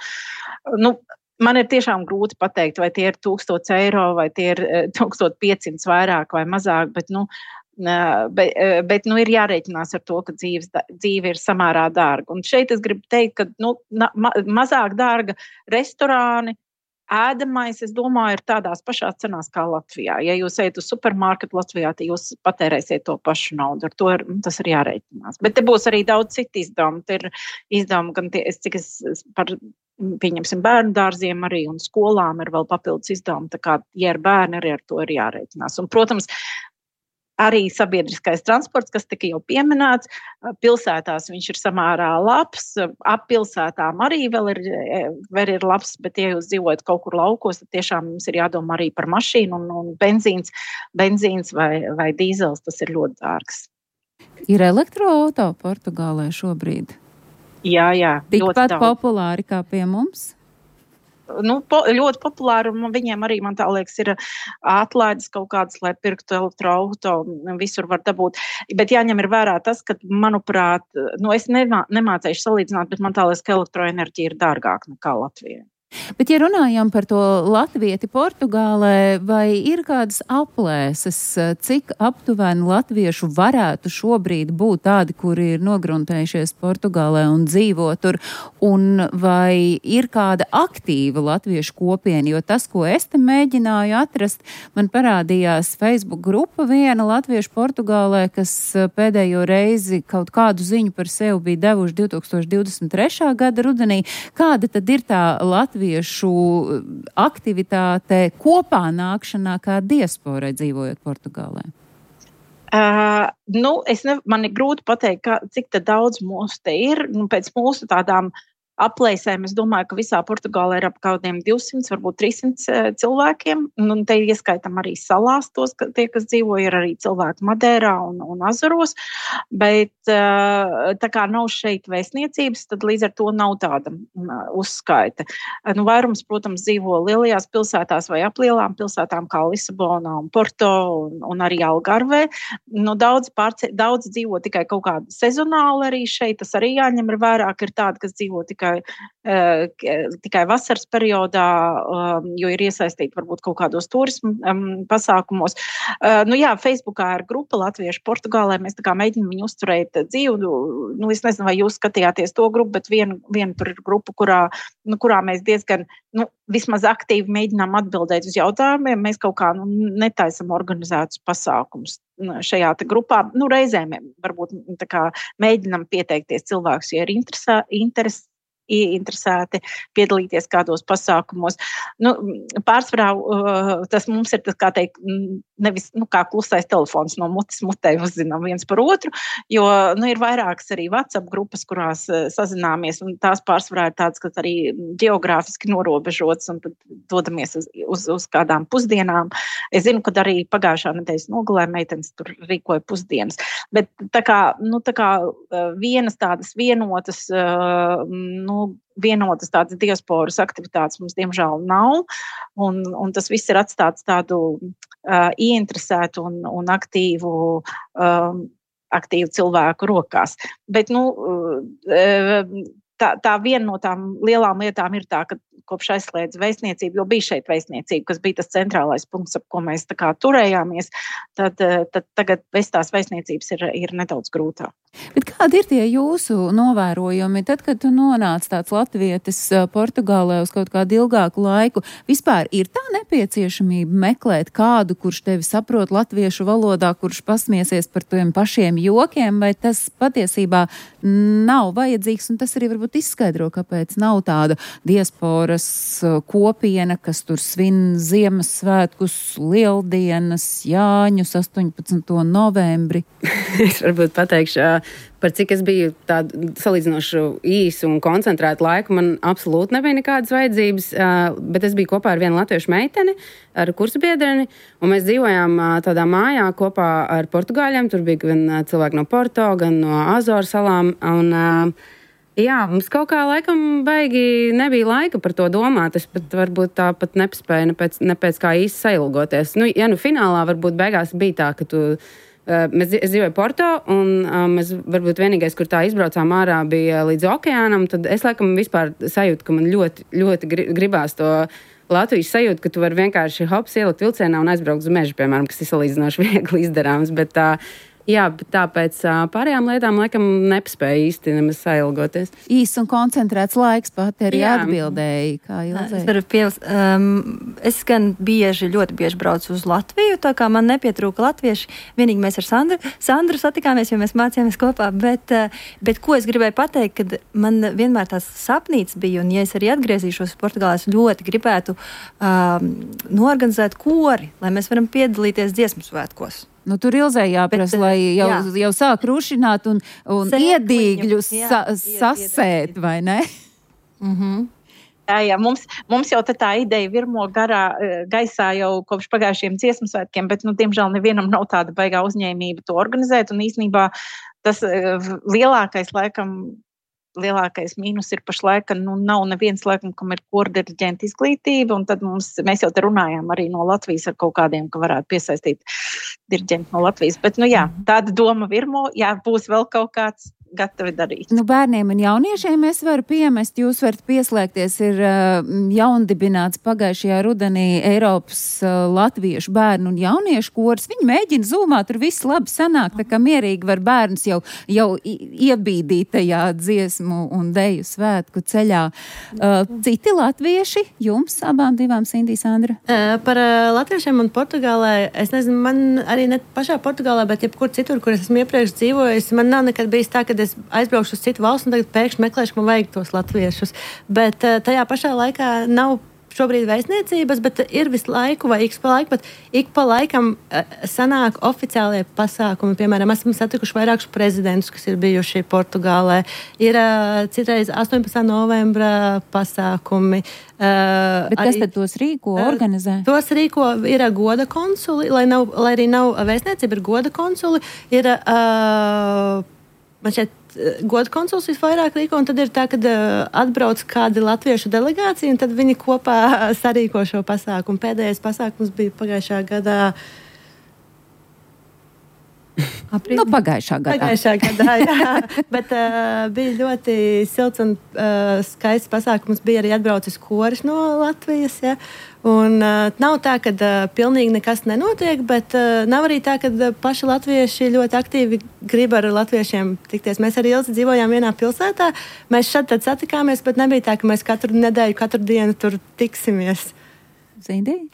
Nu, man ir tiešām grūti pateikt, vai tie ir tūkstots eiro, vai tie ir tūkstoš piecsimt vairāk vai mazāk, bet, nu, bet, bet nu, ir jārēķinās ar to, ka dzīves, dzīve ir samērā dārga. Un šeit es gribu teikt, ka nu, ma, mazāk dārga restorāni, ēdamais, es domāju, ir tādās pašās cenās kā Latvijā. Ja jūs ejat uz supermarketu Latvijā, tad jūs patērēsiet to pašu naudu. Ar to ir, tas ir jārēķinās. Bet te būs arī daudz citu izdevumu. Te ir izdevumi, gan tie, es, cik es par, pieņemsim, bērnu dārziem arī un skolām ir vēl papildus izdevumi. Tā kā, ja ir bērni, arī ar to ir jārēķinās. Un, protams, arī sabiedriskais transports, kas tika jau pieminēts, pilsētās viņš ir samērā labs, ap pilsētām arī vēl ir, vēl ir labs, bet ja jūs dzīvojat kaut kur laukos, tad tiešām jums ir jādomā arī par mašīnu un, un benzīns, benzīns vai, vai dīzels, tas ir ļoti dārgs. Ir elektroauto Portugālē šobrīd? Jā, jā. Tikpat populāri kā pie mums? Nu, po, ļoti populāri, un viņiem arī, man tā liekas, ir atlaides kaut kādas, lai pirktu elektroauto, visur var dabūt. Bet jāņem ir vērā tas, ka, manuprāt, nu, es nemā, nemācēšu salīdzināt, bet man tā liekas, ka elektroenerģija ir dārgāka nekā Latvijā. Bet, ja runājam par to latvieti Portugālē, vai ir kādas aplēses, cik aptuveni latviešu varētu šobrīd būt tādi, kuri ir nogruntējušies Portugālē un dzīvo tur, un vai ir kāda aktīva latviešu kopiena, jo tas, ko es te mēģināju atrast, man parādījās Facebook grupa viena latviešu Portugālē, kas pēdējo reizi kaut kādu ziņu par sevi bija devuši divi tūkstoši divdesmit trešā gada rudenī. Kāda tad ir tā latviešu latviešu aktivitāte kopā nākšanā kā diasporai dzīvojot Portugālē? Uh, nu, es ne, man ir grūti pateikt, kā, cik tad daudz mūsu te ir. Nu, pēc mūsu tādām aplēsēm, es domāju, ka visā Portugālē ir ap kādiem divsimt, varbūt trīssimt cilvēkiem, un te ieskaitam arī salās tos, ka tie, kas dzīvo, ir arī cilvēki Madeirā un, un Azoros, bet tā kā nav šeit vēstniecības, tad līdz ar to nav tāda uzskaita. Nu, vairums, protams, dzīvo lielajās pilsētās vai aplielām pilsētām kā Lisabonā un Porto un, un arī Algarvē. Nu, daudz, pārce, daudz dzīvo tikai kaut kāda sezonāli arī šeit, tas arī jāņem ir vairāk, ir tādi, kas dzīvo tikai Uh, tikai vasaras periodā, um, jo ir iesaistīti varbūt kaut kādos turismu um, pasākumos. Uh, nu jā, Facebookā ir grupa Latviešu Portugālē, mēs tā kā mēģinām viņu uzturēt dzīvu. Nu, es nezinu, vai jūs skatījāties to grupu, bet viena vien tur ir grupa, kurā, nu, kurā mēs diezgan, nu, vismaz aktīvi mēģinām atbildēt uz jautājumiem. Mēs kaut kā, nu, netaisam organizētus pasākumus šajā te grupā. Nu, reizēm varbūt tā kā mēģinām pieteikties cilvēkus, ja ir interesē, interes, ieinteresēti piedalīties kādos pasākumos. Nu, pārsvarā tas mums ir, tas, kā teikt, nevis nu, kā klusais telefons no mutes mutē uzzinām viens par otru, jo nu, ir vairākas arī WhatsApp grupas, kurās sazināmies, un tās pārsvarā ir tādas, kas arī geogrāfiski norobežotas, un tad dodamies uz, uz, uz kādām pusdienām. Es zinu, ka arī pagājušā nedēļas nogalē meitenes tur rīkoja pusdienas. Bet tā kā, nu, tā kā vienas tādas vienotas, nu, vienotas tādas diasporas aktivitātes mums diemžēl nav, un, un tas viss ir atstāts tādu uh, ieinteresētu un, un aktīvu, um, aktīvu cilvēku rokās. Bet, nu, uh, tā, tā viena no tām lielām lietām ir tā, ka kopš aizslēdz vēstniecību, jo bija šeit vēstniecība, kas bija tas centrālais punkts, ap ko mēs tā kā turējāmies, tad, tad tagad bez tās vēstniecības ir, ir nedaudz grūtāk. Bet kādi ir tie jūsu novērojumi? Tad, kad tu nonāc tāds latvietis Portugālē uz kaut kādu ilgāku laiku, vispār ir tā nepieciešamība meklēt kādu, kurš tevi saprot latviešu valodā, kurš pasmiesies par tiem pašiem jokiem, vai tas patiesībā nav vajadzīgs, un tas arī varbūt izskaidro, kāpēc nav tāda diasporas kopiena, kas tur svin Ziemassvētkus, Lieldienas, Jāņus, astoņpadsmito novembri. Es varbūt pateikšu, par cik es biju tādu salīdzinoši īsu un koncentrētu laiku, man absolūti nebija nekādas vajadzības, bet es biju kopā ar vienu latviešu meiteni, ar kursabiedreni, un mēs dzīvojām tādā mājā kopā ar portugāļiem. Tur bija gan cilvēki no Porto, gan no Azoru salām, un jā, mums kaut kā laikam baigi nebija laika par to domāt. Es pat varbūt tā pat nepaspēju ne pēc, ne pēc kā īsti sailgoties. Nu, ja nu finālā varbūt beigās bija tā, ka tu Mēs, es dzīvoju Porto, un um, mēs varbūt vienīgais, kur tā izbraucām ārā, bija līdz okeānam, tad es laikam vispār sajūtu, ka man ļoti, ļoti gribās to Latvijas sajūtu, ka tu vari vienkārši hops ielikt vilcienā un aizbraukt uz mežu, piemēram, kas ir salīdzinoši viegli izdarāms, bet tā, jā, bet tāpēc pārējām lietām laikam nepaspēja īsti nemaz sailgoties. Īs un koncentrēts laiks pati arī Jā. atbildēja, kā Ilzei. Es varu piebilst, um, es gan bieži, ļoti bieži braucu uz Latviju, tā kā man nepietrūka latvieši. Vienīgi mēs ar Sandru, Sandru satikāmies, jo mēs mācījāmies kopā, bet, bet ko es gribēju pateikt, kad man vienmēr tās sapnīts bija, un ja es arī atgriezīšos Portugālē, es ļoti gribētu um, norganizēt kori, lai mēs varam piedalīties dziesmu svētkos. Nu, tur Ilzei jāprasa, lai jau, jau sāk rušināt un, un iedīgļus sa, sasēt, vai ne? Mhm. Jā, jā, mums, mums jau tā ideja virmo garā gaisā jau kopš pagājušiem dziesmu svētkiem, bet, nu, diemžēl nevienam nav tāda baigā uzņēmība to organizēt, un īstenībā tas lielākais, laikam, lielākais mīnus ir pašlaik, ka, nu, nav neviens, laikam, kam ir kordiriģenta izglītība, un tad mums, mēs jau te runājām arī no Latvijas ar kaut kādiem, ka varētu piesaistīt diriģentu no Latvijas, bet, nu, jā, tāda doma virmo, jā, būs vēl kaut kāds gatavi darīt. Nu, bērniem un jauniešiem es varu piemest, jūs varat pieslēgties, ir uh, jaundibināts pagājušajā rudenī Eiropas uh, latviešu bērnu un jauniešu kors. Viņi mēģina zūmā, tur viss labi sanāk, tā kā mierīgi var bērns jau, jau iebīdīt tajā dziesmu un deju svētku ceļā. Uh, citi latvieši, jums abām divām, Sindī, Sandra? Uh, par uh, latviešiem un Portugālē, es nezinu, man arī ne pašā Portugālē, bet jebkur citur, kur es esmu iepriekš dzīvojis, man nav nekad bijis tā, ka es aizbraukšu uz citu valstu un tagad pēkšņi meklēšu, ka man vajag tos latviešus. Bet uh, tajā pašā laikā nav šobrīd vēstniecības, bet ir visu laiku vai ik pa laiku, bet ik pa laikam uh, sanāk oficiālie pasākumi. Piemēram, esam satikuši vairākus prezidentus, kas ir bijuši Portugālē. Ir uh, citreiz astoņpadsmitā novembra pasākumi. Uh, bet kas arī, tad tos rīko, organizē? Uh, tos rīko ir goda konsuli, lai, nav, lai arī nav vēstniecība, ir goda konsuli. Ir... Uh, Man šeit goda konsuls visvairāk rīko, un tad ir tā, kad uh, atbrauc kādi latviešu delegācija, un tad viņi kopā sarīko šo pasākumu. Pēdējais pasākums bija pagājušā gadā. Nu, pagājušā gadā. Pagājušā gadā, jā. Bet uh, bija ļoti silts un uh, skaists pasākums. Bija arī atbraucis koris no Latvijas, ja. Un uh, nav tā, ka uh, pilnīgi nekas nenotiek, bet uh, nav arī tā, ka uh, paši latvieši ļoti aktīvi grib ar latviešiem tikties. Mēs arī ilgi dzīvojām vienā pilsētā. Mēs šad tad satikāmies, bet nebija tā, ka mēs katru nedēļu, katru dienu tur tiksimies. Zindī?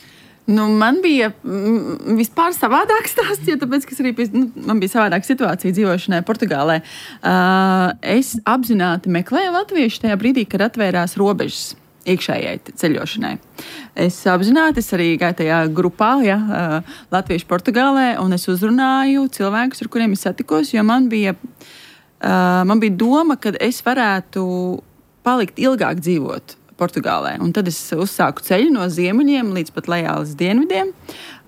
Nu, man bija mm, vispār savādāks stāsts, jo tāpēc, ka arī bija, nu, man bija savādāka situācija dzīvošanai Portugālē. Uh, es apzināti meklēju latviešu tajā brīdī, kad atvērās robežas iekšējai ceļošanai. Es apzināti, es arī gāju tajā grupā, ja, uh, latviešu Portugālē, un es uzrunāju cilvēkus, ar kuriem es satikos, jo man bija, uh, man bija doma, ka es varētu palikt ilgāk dzīvot Portugālē. Un tad es uzsāku ceļu no ziemeļiem līdz pat lejā līdz dienvidiem,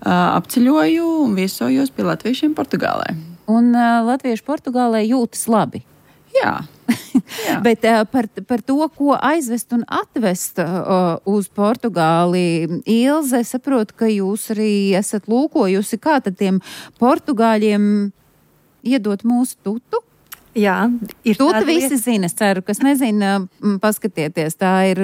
apceļoju un viesojos pie latviešiem Portugālē. Un uh, latvieši Portugālē jūtas labi? Jā. Jā. Bet uh, par, par to, ko aizvest un atvest uh, uz Portugāli, Ilze, saprotu, ka jūs arī esat lūkojusi, kā tad tiem portugāļiem iedot mūsu tutu? Jā, ir to tāda visi lieta. zina, es ceru, kas nezina, paskatieties, tā ir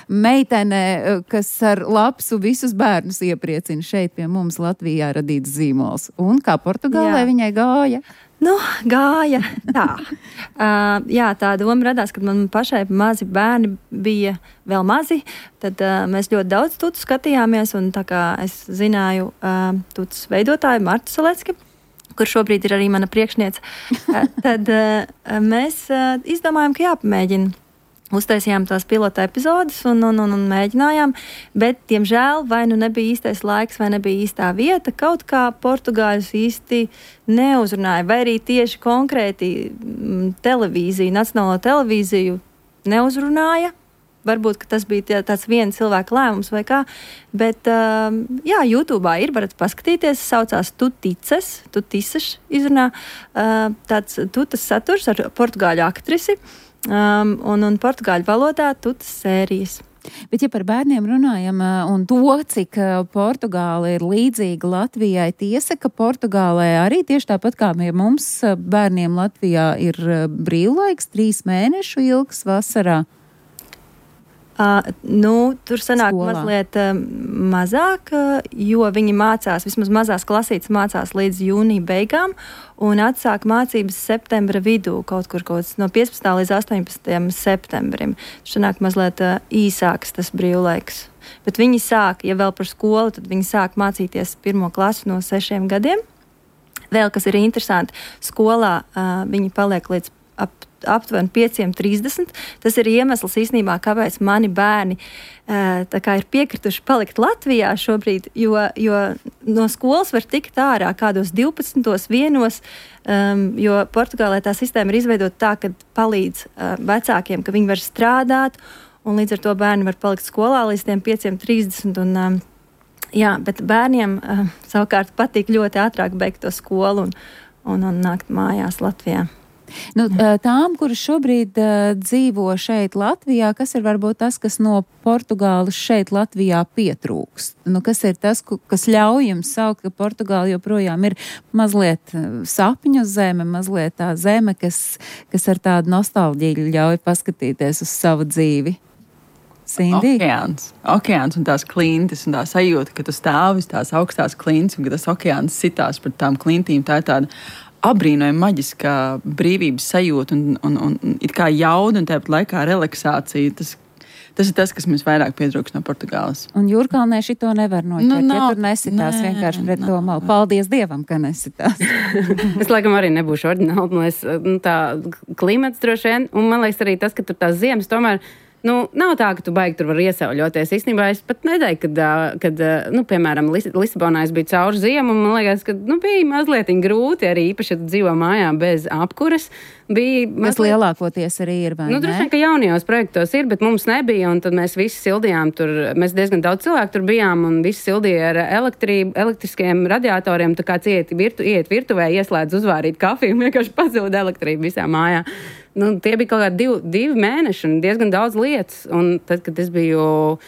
meitene, kas ar lapsu visus bērnus iepriecina šeit pie mums Latvijā radīts zīmols. Un kā Portugālē jā. Viņai gāja? Nu, gāja tā. uh, jā, tā doma radās, kad man pašai mazi bērni bija vēl mazi, tad uh, mēs ļoti daudz tutu skatījāmies, un tā kā es zināju uh, tutas veidotāju Martu Salecki, kur šobrīd ir arī mana priekšniece, tad uh, mēs uh, izdomājām, ka jāpamēģina. Uztaisījām tās pilota epizodes un, un, un, un mēģinājām, bet, diemžēl, vai nu nebija īstais laiks, vai nebija īstā vieta, kaut kā portugāļus īsti neuzrunāja, vai arī tieši konkrēti m, televīziju, nacionālo televīziju neuzrunāja. Varbūt, ka tas bija tāds viena cilvēka lēmums vai kā, bet, uh, jā, YouTube'ā ir, varat paskatīties, saucās Tutices, Tutices izrunā, uh, tāds tutas saturs ar portugāļu aktrisi, um, un, un portugāļu valodā tutas sērijas. Bet, ja par bērniem runājam un to, cik Portugāla ir līdzīga Latvijai, tiesa, ka Portugālē arī tieši tāpat kā mums bērniem Latvijā ir brīvlaiks, trīs mēnešu ilgs vasarā. Uh, nu, tur sanāk Skolā. mazliet uh, mazāk, uh, jo viņi mācās, vismaz mazās klasītes mācās līdz jūnija beigām un atsāk mācības septembra vidū, kaut kur kaut no piecpadsmitā līdz astoņpadsmitajam septembrim. Tur sanāk mazliet uh, īsāks tas brīvlaiks. Bet viņi sāk, ja vēl par skolu, tad viņi sāk mācīties pirmo klasu no sešiem gadiem. Vēl, kas ir interesanti, skolā uh, viņi paliek līdz ap aptuveni pieciem trīsdesmit. Tas ir iemesls īstenībā, kāpēc mani bērni tā kā ir piekrituši palikt Latvijā šobrīd, jo, jo no skolas var tikt ārā kādos divpadsmitos vienos, um, jo Portugālē tā sistēma ir izveidota tā, ka palīdz uh, vecākiem, ka viņi var strādāt, un līdz ar to bērni var palikt skolā līdz tiem pieciem trīsdesmit. Un, um, jā, bet bērniem uh, savukārt patīk ļoti ātrāk beigt to skolu un, un, un nākt mājās Latvijā. Nu, tām, kuras šobrīd uh, dzīvo šeit Latvijā, kas ir varbūt tas, kas no Portugāles šeit Latvijā pietrūkst? Nu, kas ir tas, kas ļauj jums saukt, ka Portugāla joprojām ir mazliet sapņu zeme, mazliet tā zeme, kas, kas ar tādu nostalģiju ļauj paskatīties uz savu dzīvi? Sindi? Okeāns. Okeāns un tās klintis un tā sajūta, ka tu stāvis tās augstās klintis un ka tas okeāns sitās par tām klintīm. Tā ir tāda abrīnojama maģiskā brīvības sajūta un, un, un, un it kā jauda un tāpat laikā relaksācija. Tas, tas ir tas, kas mums vairāk pietrūkst no Portugāles. Un Jūrkalnē šito nevar noķert, nu, nav, ja tur nesitās nē, vienkārši pret nav, to malu. Paldies Dievam, ka nesitās. Es laikam arī nebūšu oriģināli, man liekas, nu, tā klimats droši vien, un man liekas arī tas, ka tur tās ziemas tomēr. Nu, nav tā, ka tu baigi tur var iesauļoties. Īstenībā es pat nedēļu, kad, kad nu, piemēram, Lis- Lisabonā es biju cauri ziemu, un man liekas, ka nu, bija mazliet grūti arī, īpaši, ja tu dzīvo mājā bez apkuras. Bija Kas mazliet... lielākoties arī ir, vai nu, ne? Droši vien, ka jaunajos projektos ir, bet mums nebija, un tad mēs visi sildījām tur, mēs diezgan daudz cilvēku tur bijām, un visi sildīja ar elektrību, elektriskiem radiatoriem, tā kā cieti virtu, iet virtuvē, ieslēdz uzvārīt kafiju, un vienkārši pazūda elektrība visā mājā. Nu, tie bija kaut kādi divi, divi mēneši un diezgan daudz lietas. Un tad, kad es biju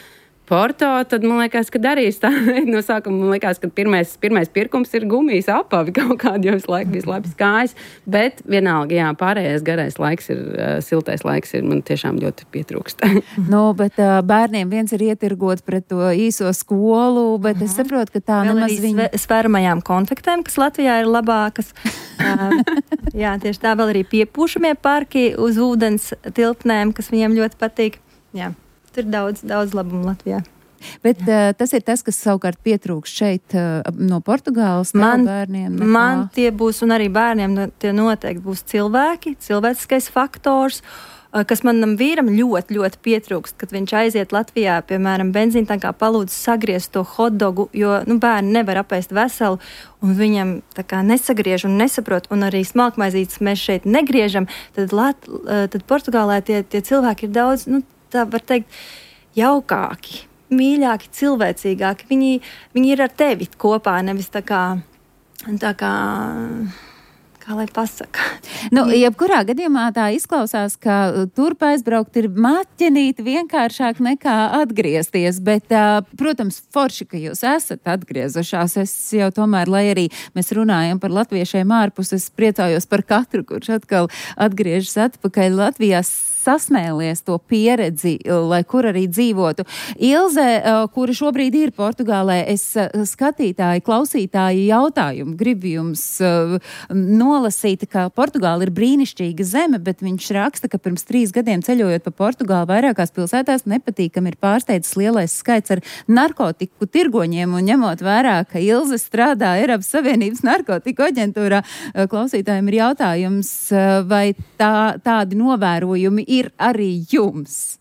Porto, tad man liekas, ka darīs tā. No sākuma man liekas, ka pirmais, pirmais pirkums ir gumijas apavi kaut kādi, jo visu laiku bija slēpjas kājas. Bet vienalga, jā, pārējais garais laiks ir, uh, siltais laiks ir, man tiešām ļoti pietrūkst. Nu, bet uh, bērniem viens ir ietirgot pret to īso skolu, bet uh-huh. es saprotu, ka tā vēl nemaz arī viņa... sve, svēramajām konfektēm, kas Latvijā ir labākas. uh, jā, tieši tā vēl arī piepūšamie parki uz ūdens tilpnēm, kas viņiem ļoti patīk. Jā. Tur ir daudz, daudz labumu Latvijā. Bet uh, tas ir tas, kas savukārt pietrūkst šeit uh, no Portugāles man, bērniem. Nekā. Man tie būs, un arī bērniem tie noteikti būs cilvēki, cilvēciskais faktors, uh, kas manam vīram ļoti, ļoti pietrūkst, kad viņš aiziet Latvijā, piemēram, benzīntankā palūdz sagriezt to hotdogu, jo nu, bērni nevar apēst veselu, un viņam tā kā nesagriež un nesaprot, un arī smalkmaizītes mēs šeit negriežam, tad, Lat, uh, tad Portugālē tie, tie cilvēki ir daudz, nu, tā var teikt, jaukāki, mīļāki, cilvēcīgāki. Viņi, viņi ir ar tevi kopā, nevis tā kā, tā kā, Kā lai pasaka? Nu, jebkurā gadījumā tā izklausās, ka turp aizbraukt ir maķenīt vienkāršāk nekā atgriezties, bet, protams, forši, ka jūs esat atgriezušās. Es jau tomēr, lai arī mēs runājam par latviešiem ārpus, es priecājos par katru, kurš atkal atgriežas atpakaļ Latvijā, sasmēlies to pieredzi, lai kur arī dzīvotu. Ilze, kura šobrīd ir Portugālē, es skatītāji, klausītāji jautājumu gribu jums nolasīt, ka Portugāla ir brīnišķīga zeme, bet viņš raksta, ka pirms trīs gadiem ceļojot pa Portugālu vairākās pilsētās nepatīkam ir pārsteidzis lielais skaits ar narkotiku tirgoņiem, un ņemot vērā, ka Ilze strādā Eiropas Savienības narkotiku aģentūrā, klausītājiem ir jautājums, vai tā, tādi novērojumi ir arī jums?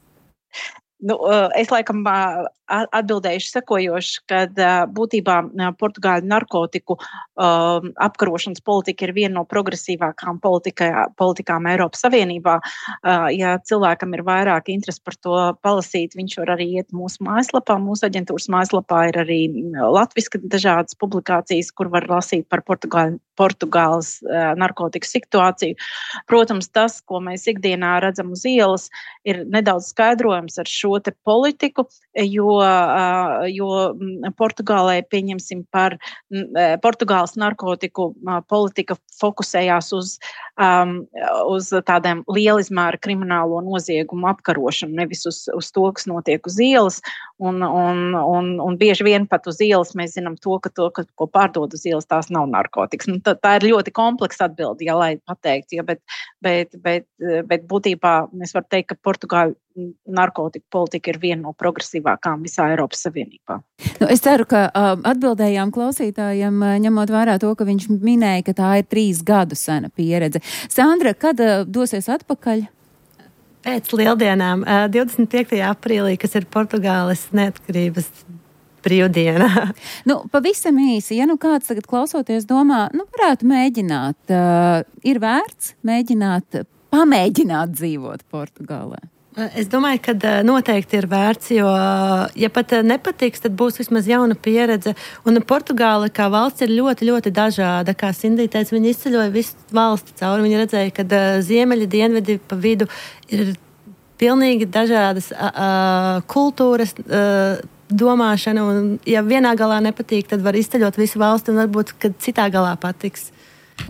Nu, es laikam atbildējuši sekojoši, kad būtībā Portugāļu narkotiku um, apkarošanas politika ir viena no progresīvākām politikā, politikām Eiropas Savienībā. Uh, ja cilvēkam ir vairāk interesi par to palasīt, viņš var arī iet mūsu mājaslapā. Mūsu aģentūras mājaslapā ir arī latviski dažādas publikācijas, kur var lasīt par Portugāļu Portugāles uh, narkotiku situāciju. Protams, tas, ko mēs ikdienā redzam uz ielas, ir nedaudz skaidrojums ar šo te politiku, jo, uh, jo Portugālē, pieņemsim par uh, Portugāles narkotiku uh, politika fokusējās uz, um, uz tādiem lielizmēra kriminālo noziegumu apkarošanu, nevis uz, uz to, kas notiek uz ielas. Un, un, un, un bieži vien pat uz ielas mēs zinām to, ka to, ka, ko pārdod uz ielas, tās nav narkotikas. Nu, tā, tā ir ļoti kompleksa atbilde, ja lai pateikt, ja, bet, bet, bet, bet būtībā es varu teikt, ka Portugāļu narkotiku politika ir viena no progresīvākām visā Eiropas Savienībā. Nu, es ceru, ka uh, atbildējām klausītājiem, uh, ņemot vērā to, ka viņš minēja, ka tā ir trīs gadu sena pieredze. Sandra, kad uh, dosies atpakaļ? Pēc lieldienām, divdesmit piektajā aprīlī, kas ir Portugāles neatkarības brīvdiena. Nu, pavisam īsi, ja nu kāds tagad klausoties domā, nu varētu mēģināt, uh, ir vērts mēģināt, pamēģināt dzīvot Portugālē? Es domāju, ka noteikti ir vērts, jo, ja pat nepatiks, tad būs vismaz jauna pieredze. Un Portugāla kā valsts ir ļoti, ļoti dažāda. Kā Sindija teica, viņi izceļoja visu valsti cauri. Viņi redzēja, ka ziemeļi, dienvidi pa vidu ir pilnīgi dažādas a, a, kultūras, a, domāšana. Un, ja vienā galā nepatīk, tad var izceļot visu valsti un varbūt, kad citā galā patiks.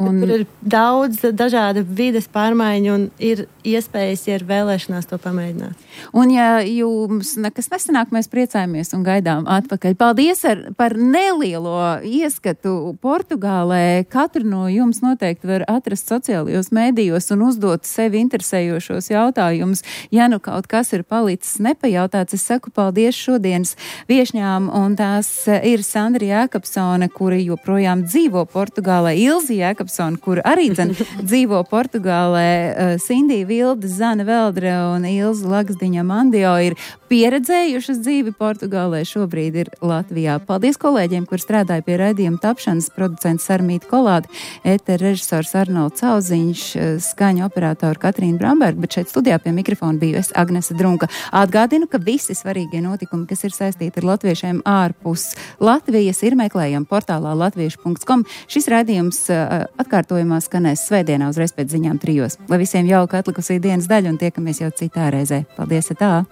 Un tur ir daudz dažādu vides pārmaiņu un ir iespējas, ja ir vēlēšanās to pamēģināt. Un ja jums nekas nesanāk, mēs priecājamies un gaidām atpakaļ. Paldies ar, par nelielo ieskatu Portugālē. Katru no jums noteikti var atrast sociālajos mēdījos un uzdot sevi interesējošos jautājumus. Ja nu kaut kas ir palicis nepajautāts, es saku paldies šodienas viešņām, un tās ir Sandra Jēkabsone, kura joprojām dzīvo Portugālē, Ilze Jēkabsone, kur arī dzen dzīvo Portugālē, Sindija Vilde, Zana Veldre un Ilze Lagsdiņa Mandio ir pieredzējušas dzīvi Portugālē, šobrīd ir Latvijā. Paldies kolēģiem, kur strādāja pie raidījuma tapšanas, producents Sarmīta Kolāde, ēter režisors Arnolds Cauziņš, skaņu operatora Katrīna Bramberga, bet šeit studijā pie mikrofona biju es, Agnese Drunka. Atgādinu, ka visi svarīgie notikumi, kas ir saistīti ar latviešiem ārpus Latvijas, ir meklējami portālā latviešu punkts com. Šis raidījums atkārtojumā skanēs svētdienā uzreiz pēc ziņām trijos. Lai visiem jauka atlikusī dienas daļa un tiekamies jau citā reizē. Paldies, tā!